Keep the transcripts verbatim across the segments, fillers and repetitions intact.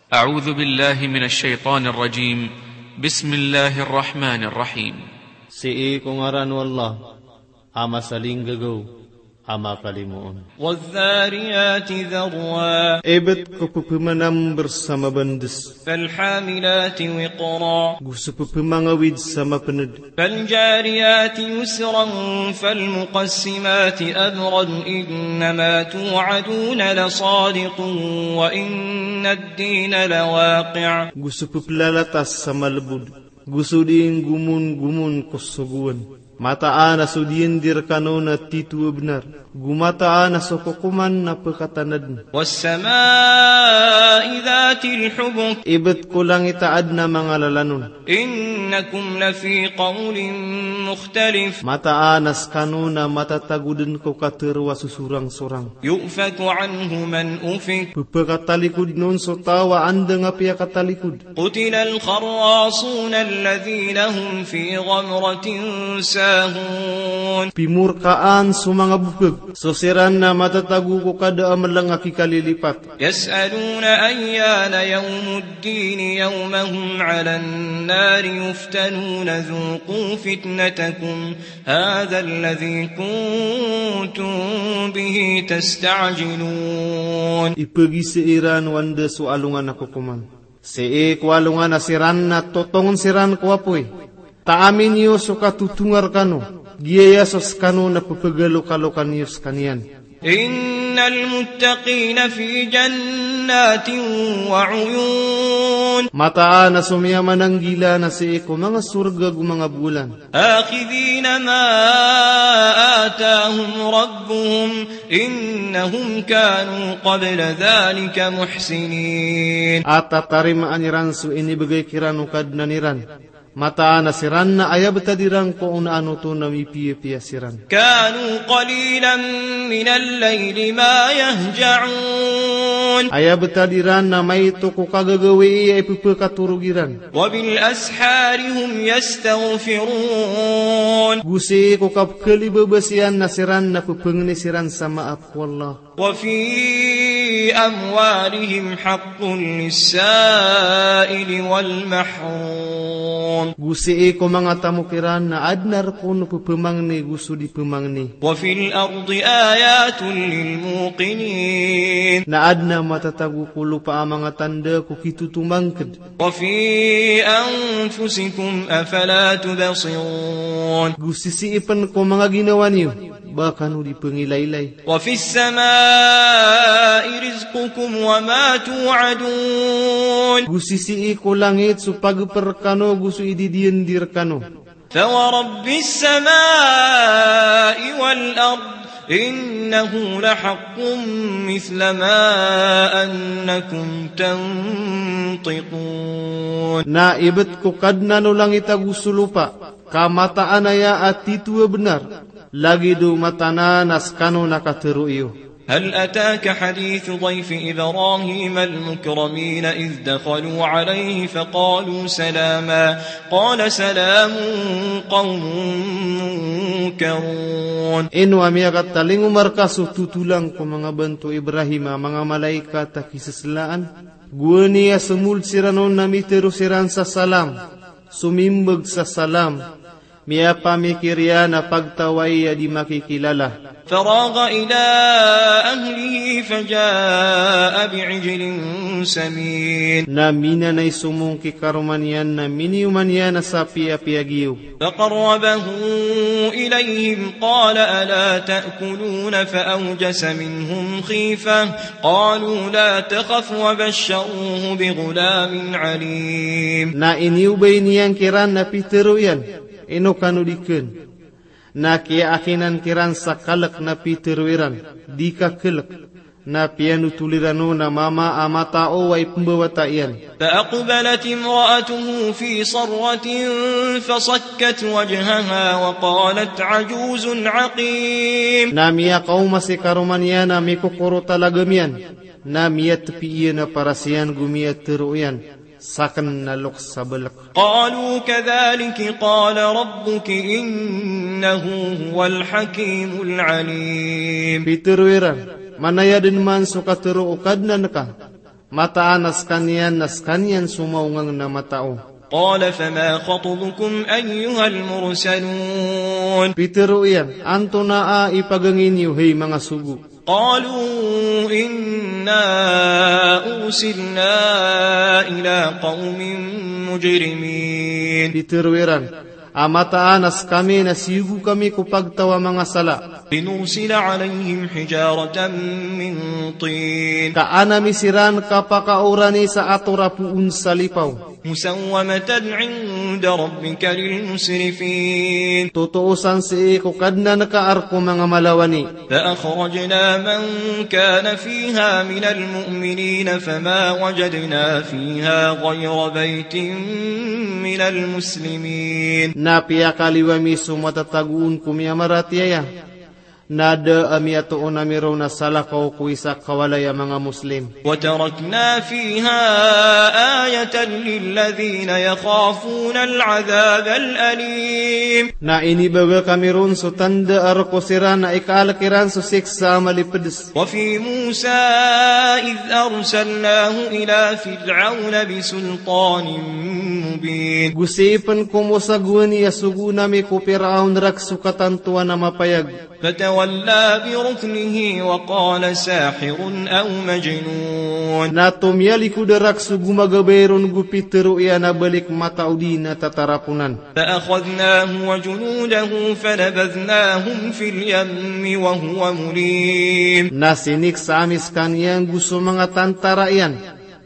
أعوذ بالله من الشيطان الرجيم. بسم الله الرحمن الرحيم. Sii ko ngaran o Allah a masalinggagaw a makalimoon. والذاريات ذروا. Ibt ko pphamanamber sa mabandes. فالحاملات وقرا. Go so pphamangawid sa mapnd. فالجاريات يسرا فالمقسمات أمرا إنما توعدون لصادق وإن الدين لواقع. Go so pplalatas sa malbod. Go so dii nggomonggomon ko sogoan. Mataan a so dii ndi rkano na tito a bnar. Go mataan a so kokoman na pkatanadn. والسماء ذات الحبك. Ibt ko langit a adn a manga lalan on. إنكم لفي قول مختلف. Mataan a skano na matatago dn ko katharo a sosorangsorang. يؤفك عنه من أفك. Pphakatalikod on so taw a anda nga piyakatalikod. قتل الخراصون الذين هم في غمرة ساهون. Pimorkaan so manga bopg so siran na matatago ko kada a mlng a kikalilipat. يسألون أيان يوم الدين يوم هم على النار يفتنون ذوقوا فتنتكم هذا الذي كنتم به تستعجلون. Ipagisa iran o anda so alongan a kokoman. Sii ko alongan a siran na totongn siran ko apoy. Taamin iyo so katotonga rkano. Giyaya so skano na pphagalokalokn iyo skaniyan. إن المتقين في جنات وعيون. Mataan a so miyamananggila na sii ko manga sorga go manga bolan. آخذين ما آتاهم ربهم إنهم كانوا قبل ذلك محسنين. A tatarimaan iran so inibgay kiran o Kadnan iran. Mataan a siran na aya btad iran ko onaan oto na mipiyapiya siran. كانوا قليلا من الليل ما يهجعون. Aya btad iran na maito ko kagagawii a ipphakatorog iran. وبالأسحار هم يستغفرون. Go sii ko kapkhalibabas iyan na siran na pphangni siran sa maap ko Allah. وفي أموالهم حق للسائل والمحروم. Go sii ko manga tamok iran na adn a rk on o pphangni go so di pphangni. وفي الأرض آيات للموقنين. Na adn a matatago ko lopa a manga tanda ko kitotomangkd. وفي أنفسكم أفلا تبصرون. Go sisii pn ko manga ginawa niyo, ba kano di pngilailay. وفي السماء رزقكم وما توعدون. Go sisii ko langit so pagpr rkano go so ididiyandi rkano. فورب السماء والأرض إنه لحق مثل ما أنكم تنطقون. Na ibt ko Kadnan o langit ago so lopa, ka mataan aya a tito a bnar, lagid o mataan a skano na katharo iyo. هل أتاك حديث ضيف إبراهيم المكرمين إذ دخلوا عليه فقالوا سلاما قال سلام قوم منكرون. Ino a miyakatalingoma rka so totolang ko manga banto o Ibrahim a manga malaikat a kisaslaan? Gowani a somold siran on na mitharo siran sa salam, somimbag sa salam, miyapamikir iyan a pagtawai a di makikilala. فراغ إلى أهله فجاء بعجل سمين. Na minanay somong ki karoma niyan na miniyoman iyan a sapi a piyagiyob. فقربه إليهم قال ألا تأكلون فأوجس منهم خيفة قالوا لا تخف وبشروه بغلام عليم. Na iniyobay niyan kiran na pitharo iyan, ino kano di kn. Na kiyaakinan kiran sa kalk na pitharo iran, di ka klk. Na piyanotol iran on a mama a matao a ipmbawata iyan. فأقبلت امرأته في صرة فصكت وجهها وقالت عجوز عقيم. Na miyakaoma si karoma niyan a mikokorot a lagam iyan. Na miyatpi iyan a paras iyan go miyatharo iyan, sakn na loks a balk. قالوا كذلك قال ربك إنه هو الحكيم العليم. Pitharo iran, manaya dn man so katharo o Kadnan ka, Mataan a skaniyan na skaniyan so maongangn a matao. قال فما خطبكم أيها المرسلون. Pitharo iyan, antonaa i pagangin iyo, hay manga sogo? قالوا إنا أرسلنا إلى قوم مجرمين. Pitharo iran, a mataan a skami na siyogo kami ko pagtaw a manga sala. لنرسل عليهم حجارة من طين. Ka an ami siran kapakaorani sa ator a poon sa lipaw. مسومة عند ربك للمسرفين. Totoo san sii ko Kadnan ka a rk o manga malawani. فأخرجنا من كان فيها من المؤمنين فما وجدنا فيها غير بيت من المسلمين. Na piyakaliyo ami so matatago on ko miyamaratiyaya. Na da a miyatoon ami roo na salakaw ko isa ka walay a manga Muslim. وتركنا فيها آية للذين يخافون العذاب الأليم. Na inibaga kami ron so tanda a rk o siran a ikaalk iran so siksa a malipds. وفي موسى إذ أرسلناه إلى فرعون بسلطان مبين. Go sii pn ko Musa gowani a sogoon ami ko Piraon rk so katantowan a mapayag. فتولى بركنه وقال ساحر أو مجنون. Na tomiyalikod a rk so gomagabay ron go pitharo iyan a balik mataodi na tataraponan. فأخذناه وجنوده فنبذناهم في اليم وهو مليم. Na siniksa ami skaniyan go so manga tantara iyan,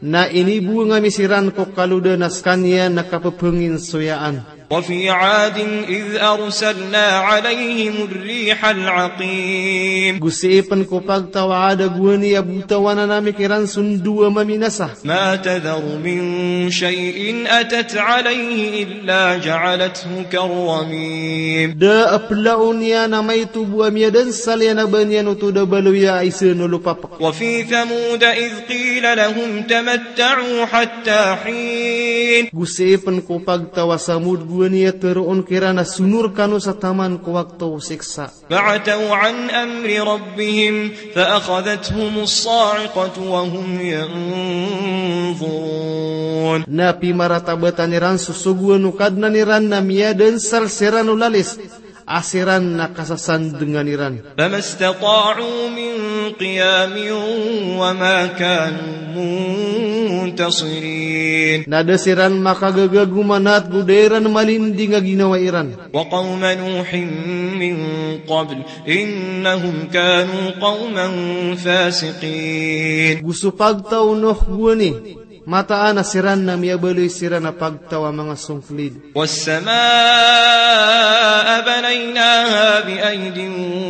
na inibowang ami siran ko kalodan a skaniyan na kapaphanginsoyaan. وفي عاد إذ أرسلنا عليهم الريح العقيم. Go sii pn ko pagtaw a Ad a gowani a botawanan ami kiran so ndo a maminasa. ما تذر من شيء أتت عليه إلا جعلته كالرميم. Da a plaon iyan a maito bo a miyadansal iyan a ba niyan oto da baloya a isa no lopapk. وفي ثمود إذ قيل لهم تمتعوا حتى حين. Go sii pn ko pagtaw a Samod gowani a tharoon kiran a sonor kano sa taman ko wakto o siksa. فعتوا عن أمر ربهم فأخذتهم الصاعقة وهم ينظرون. Na pimaratabatan iran so sogoan o Kadnan iran na miyadansal siran o lalis a siran na kasasandngan iran. فما استطاعوا من قيام وما كانوا منتصرين. Na da siran makagaga go manat go da iran malinding a ginawa iran. وقوم نوح من قبل إنهم كانوا قوما فاسقين. Go so pagtaw o Nuh gowani, mataan a siran na miyabaloy siran a pagtaw a manga songklid. والسماء بنيناها بأيد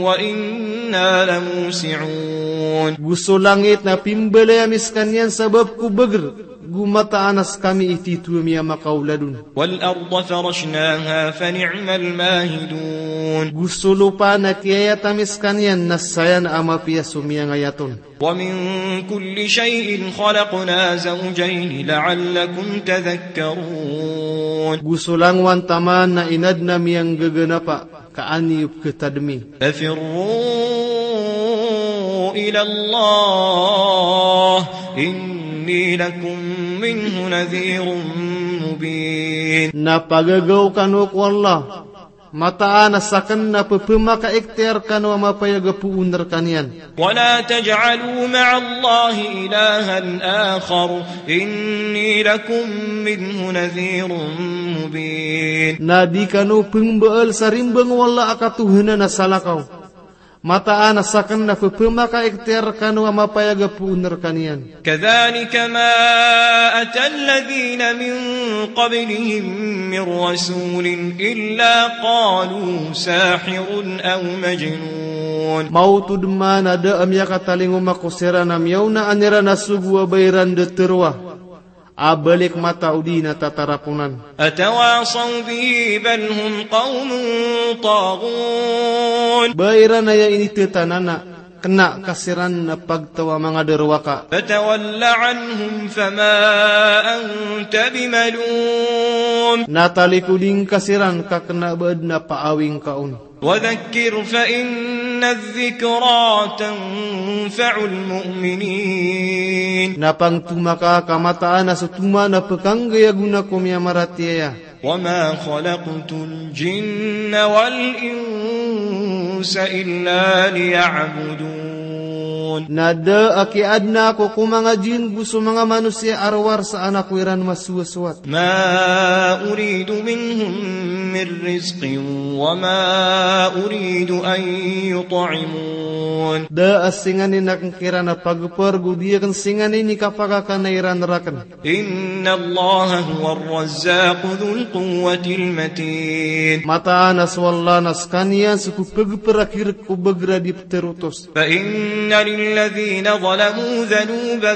وإنا لموسعون. Go so langit na pimbalay ami skaniyan sabap ko bagr, go mataan a skami i titho a miyamakaolad on. والأرض فرشناها فنعم الماهدون. Go so lopa na kiyayat ami skaniyan na saya a mapiya so miyangayat on. ومن كل شيء خلقنا زوجين لعلكم تذكرون. Go so langowan taman na inadn ami a nggaganapa ka an iyo pkhatadmi. ففروا إلى الله إني لكم منه نذير مبين. Na pagagaw kano ko Allah, mataan a sakn na pphamakaikhtiyar kano a mapayag a poon rkaniyan. ولا تجعلوا مع الله إلها آخر إني لكم منه نذير مبين. Na di kano pmbaal sa rimbang o Allah a katohanan a salakaw. Mataan a sakn na pphamakaikhtiyar kano a mapayag a poon rkaniyan. كذلك ما أتى الذين من قبلهم من رسول إلا قالوا ساحر أو مجنون. Maoto dn man a da a miyakatalingoma ko siran a miyaonaan iran a sogo a ba iran da tharoa a balik mataodi na tataraponan. أتواصوا به بل هم قوم طاغون. Ba iran aya inithatanana, kna ka siran a pagtaw a manga darowaka. فتول عنهم فما أنت بملوم. Na talikodi ngka siran ka kna ba adn a paawing ka on. وذكر فإن الذكرى تنفع المؤمنين. Na pangtoma ka, ka mataan a so toma na pkhanggay a gona ko miyamaratiyaya. وما خلقت الجن والإنس إلا ليعبدون. Na da a kiyaadna ako ko manga jinn go so manga manosiya a rowar sa an ako iran masowasowat. ما أريد منهم من رزق وما أريد أن يطعمون. Da a singanin akn kiran a pagpr go di akn singanin i kapakakan iran rakn. إن الله هو الرزاق ذو القوة المتين. Mataan a so Allah na skaniyan so pphagprakirk o bagra di pterotos. فإن للذين ظلموا ذنوبا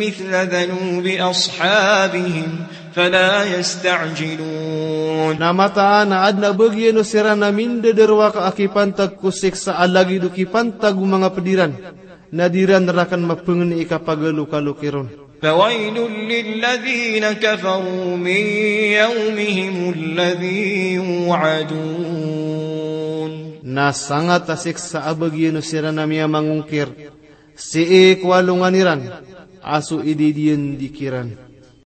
مثل ذنوب أصحابهم فلا يستعجلون. Na mataan a adn a bagian o siran a mindadarowaka a kipantag ko siksa a lagid o kipantag o manga pd iran, na di ran rakn mapangni i kapagalokalok iron. فويل للذين كفروا من يومهم الذي يوعدون. Na sangat a siksa a bagian o siran a miyamangongkir sii ko alongan iran a so ididiyandi kiran.